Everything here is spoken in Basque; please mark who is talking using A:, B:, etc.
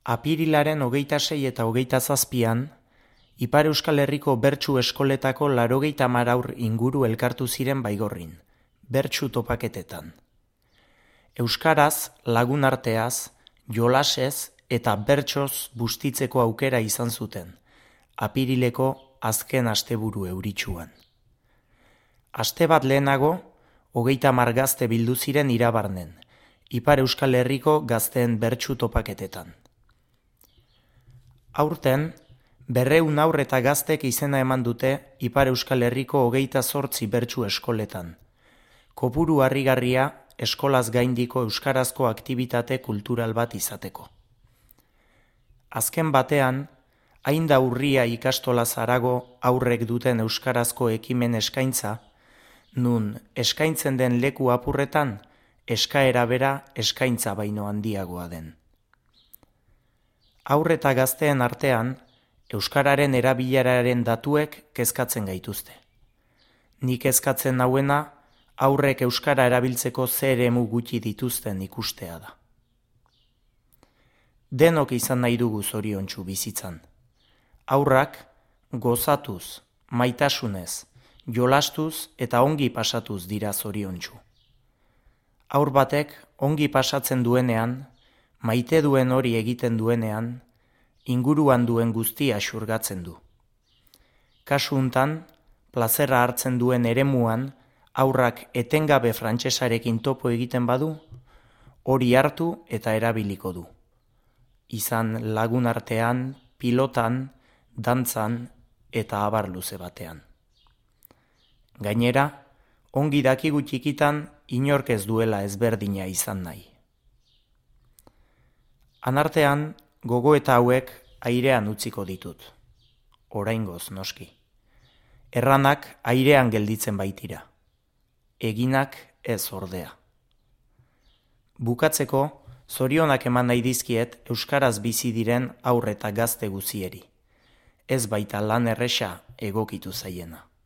A: Apirilaren 26 eta 27an, Ipar Euskal Herriko bertsu eskoletako 80 haur inguru elkartu ziren Baigorrin, bertsu topaketetan. Euskaraz, lagunarteaz, jolasez eta bertsoz bustitzeko aukera izan zuten, apirileko azken asteburu euritsuan. Aste bat lehenago, 30 gazte bildu ziren Irabarnen, Ipar Euskal Herriko gazteen bertsu topaketetan. Aurten, 200 haur eta gaztek izena eman dute Ipar Euskal Herriko 28 bertsu eskoletan. Kopuru harrigarria eskolaz gaindiko euskarazko aktibitate kultural bat izateko. Azken batean, hain da urria ikastolaz harago aurrek duten euskarazko ekimen eskaintza, nun eskaintzen den leku apurretan, eskaera bera eskaintza baino handiagoa den. Haur eta gazteen artean, euskararen erabileraren datuek kezkatzen gaituzte. Nik kezkatzen nauena, aurrek euskara erabiltzeko ze eremu gutxi dituzten ikustea da. Denok izan nahi dugu zoriontsu bizitzan. Haurrak gozatuz, maitasunez, jolastuz eta ongi pasatuz dira zoriontsu. Haur batek ongi pasatzen duenean, maite duen hori egiten duenean, inguruan duen guztia xurgatzen du. Kasu hontan, plazerra hartzen duen eremuan, haurrak etengabe frantsesarekin topo egiten badu, hori hartu eta erabiliko du. Izan lagunartean, pilotan, dantzan eta abar luze batean. Gainera, ongi dakigu txikitan inork ez duela ezberdina izan nahi. Anartean, gogoeta hauek airean utziko ditut. Oraingoz noski. Erranak airean gelditzen baitira. Eginak ez ordea. Bukatzeko, zorionak eman nahi dizkiet euskaraz bizi diren haur eta gazte guzieri. Ez baita lan erresa egokitu zaiena.